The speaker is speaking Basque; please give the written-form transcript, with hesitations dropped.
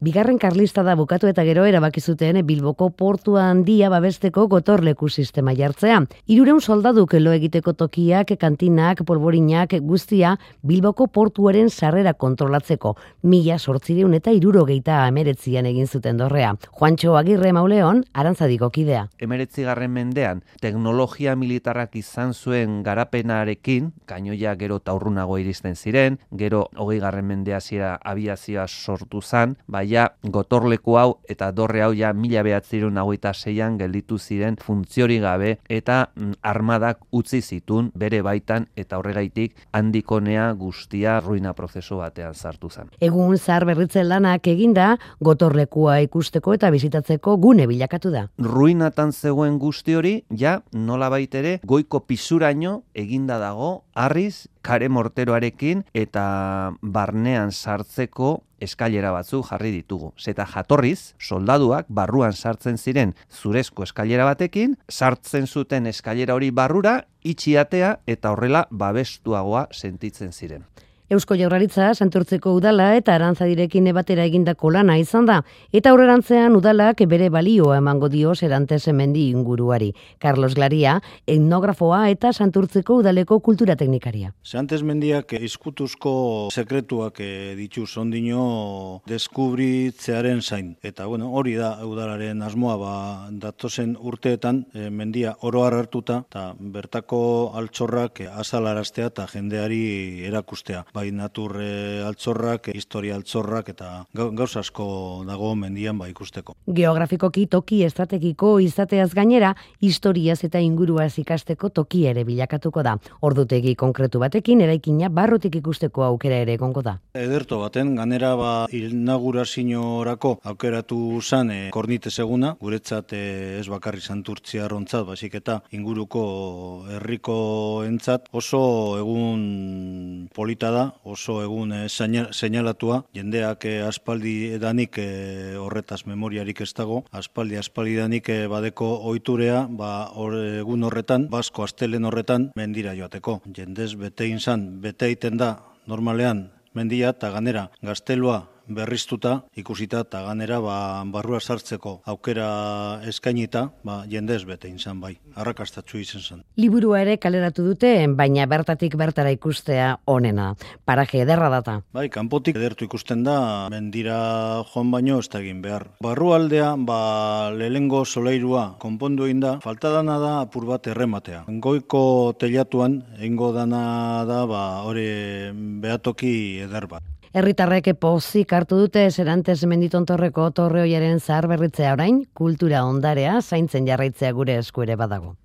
Bigarren Karlistada bukatu eta gero erabaki zuten Bilboko portua handia babesteko gotorleku sistema jartzea. 300 soldaduk lo egiteko tokiak, kantinak, polborinak guztia Bilboko portuaren sarrera kontrolatzeko 1879an egin zuten dorrea. Juantxo Agirre Mauleon, Arantzadiko kidea. 19. mendean teknologia militarrak izan zuen garapenarekin, kainoia gero taurrunago iristen ziren, gero 20. mendea zira abiazioa sortu zan, baina gotorleku hau eta dorre hau ja 1926an gelditu ziren funtziori gabe eta armadak utzi zitun bere baitan eta horregaitik handikonea guztia ruina prozesu batean sartu zen. Egun zahar berritzen lanak eginda, gotorlekua ikusteko eta bizitatzeko gune bilakatu da. Ruinatan zegoen guzti hori, ja nolabait ere goiko pisuraino eginda dago, harriz, kare morteroarekin eta barnean sartzeko eskailera batzu jarri ditugu. Zeta jatorriz, soldaduak barruan sartzen ziren zurezko eskailera batekin, sartzen zuten eskailera hori barrura, itxi atea eta horrela babestuagoa sentitzen ziren. Eusko Jaurlaritza Santurtziko udala eta Arantzadirekin batera egindako lana izan da, eta aurrerantzean udalak bere balioa emango dio Serantes mendi inguruari. Carlos Glaria, etnografoa eta Santurtziko udaleko kultura teknikaria. Serantes mendiak izkutuzko sekretuak ditu ondino deskubritzearen zain. Eta hori da udalaren asmoa, datozen urteetan mendia oro har hartuta eta bertako altxorrak azalaraztea eta jendeari erakustea. Bai natur altxorrak, historia altxorrak eta gauza asko dago mendian ikusteko. Geografikoki toki estrategiko izateaz gainera, historiaz eta inguruaz ikasteko toki ere bilakatuko da. Ordutegi konkretu batekin eraikina barrutik ikusteko aukera ere egongo da. Ederto baten, ganera inauguraziorako aukeratu zan Kornitez eguna, guretzat ez bakarri Santurtziarrontzat, baizik eta inguruko herriko entzat oso egun polita da, oso egun seinalatua, jendeak aspaldi edanik horretaz memoriarik ez dago, aspaldi danik badeko ohiturea, egun horretan, Basko astelen horretan mendira joateko. Jendez bete egiten da normalean mendia eta ganera gaztelua berriztuta, ikusita eta ganera barrua sartzeko aukera eskainita, jendez bete izan arrakastatsu izan zen. Liburua ere kaleratu dute, baina bertatik bertara ikustea onena. Paraje ederra data. Kanpotik edertu ikusten da, mendira joan baino ez da egin behar. Barrualdea, lehengo solairua konpondu egin da, falta dana da apur bat errematea. Goiko telatuan, egingo dana da, hori behatoki eder bat. Herritarrek pozik hartu dute Serantes menditontorreko torre oiaren zahar berritzea orain, kultura ondarea zaintzen jarraitzea gure esku ere badago.